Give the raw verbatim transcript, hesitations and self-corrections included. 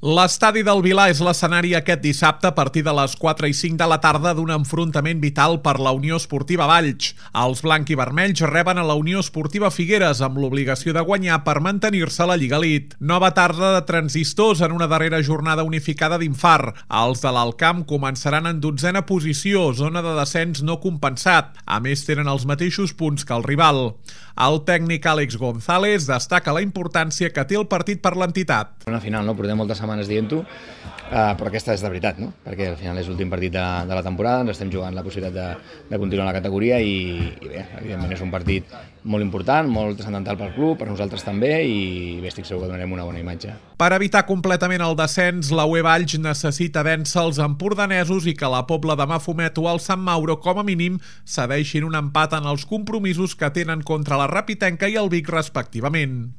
L'estadi del Vilà és l'escenari aquest dissabte a partir de les quatre i cinc de la tarda d'un enfrontament vital per la Unió Esportiva Valls. Els blanc i vermells reben a la Unió Esportiva Figueres amb l'obligació de guanyar per mantenir-se a la Lliga Elite. Nova tarda de transistors en una darrera jornada unificada d'Infar. Els de l'Alcamp començaran en dotzena posició, zona de descens no compensat. A més, tenen els mateixos punts que el rival. El tècnic Àlex González destaca la importància que té el partit per l'entitat. Una final, no? Portem moltes setmanes dient-ho, uh, però aquesta és de veritat, no? Perquè al final és l'últim partit de, de la temporada, ens estem jugant la possibilitat de, de continuar la categoria i, i bé, evidentment és un partit molt important, molt transcendental pel club, per nosaltres també, i bé, estic segur que donarem una bona imatge. Per evitar completament el descens, la U E Valls necessita vèncer els empordanesos i que la Pobla de Mafumet o el Sant Mauro, com a mínim, cedeixin un empat en els compromisos que tenen contra la Rapitenca i el Vic respectivament.